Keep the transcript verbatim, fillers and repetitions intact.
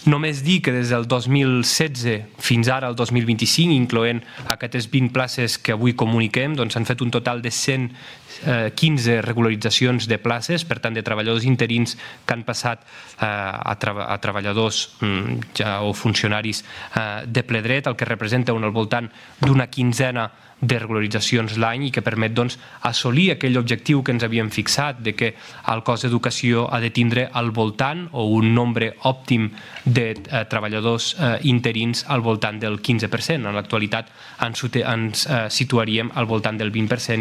Només dir que des del dos mil setze fins ara al dos mil vint-i-cinc, incloent aquestes vint places que avui comuniquem, s'han fet un total de cent quinze regularitzacions de places, per tant, de treballadors interins que han passat a treballadors o funcionaris de ple dret, el que representa al voltant d'una quinzena de regularitzacions l'any i que permet assolir aquell objectiu que ens havíem fixat de que el cos d'educació ha de tindre al voltant o un nombre òptim de treballadors interins al voltant del quinze per cent. En l'actualitat ens situaríem al voltant del vint per cent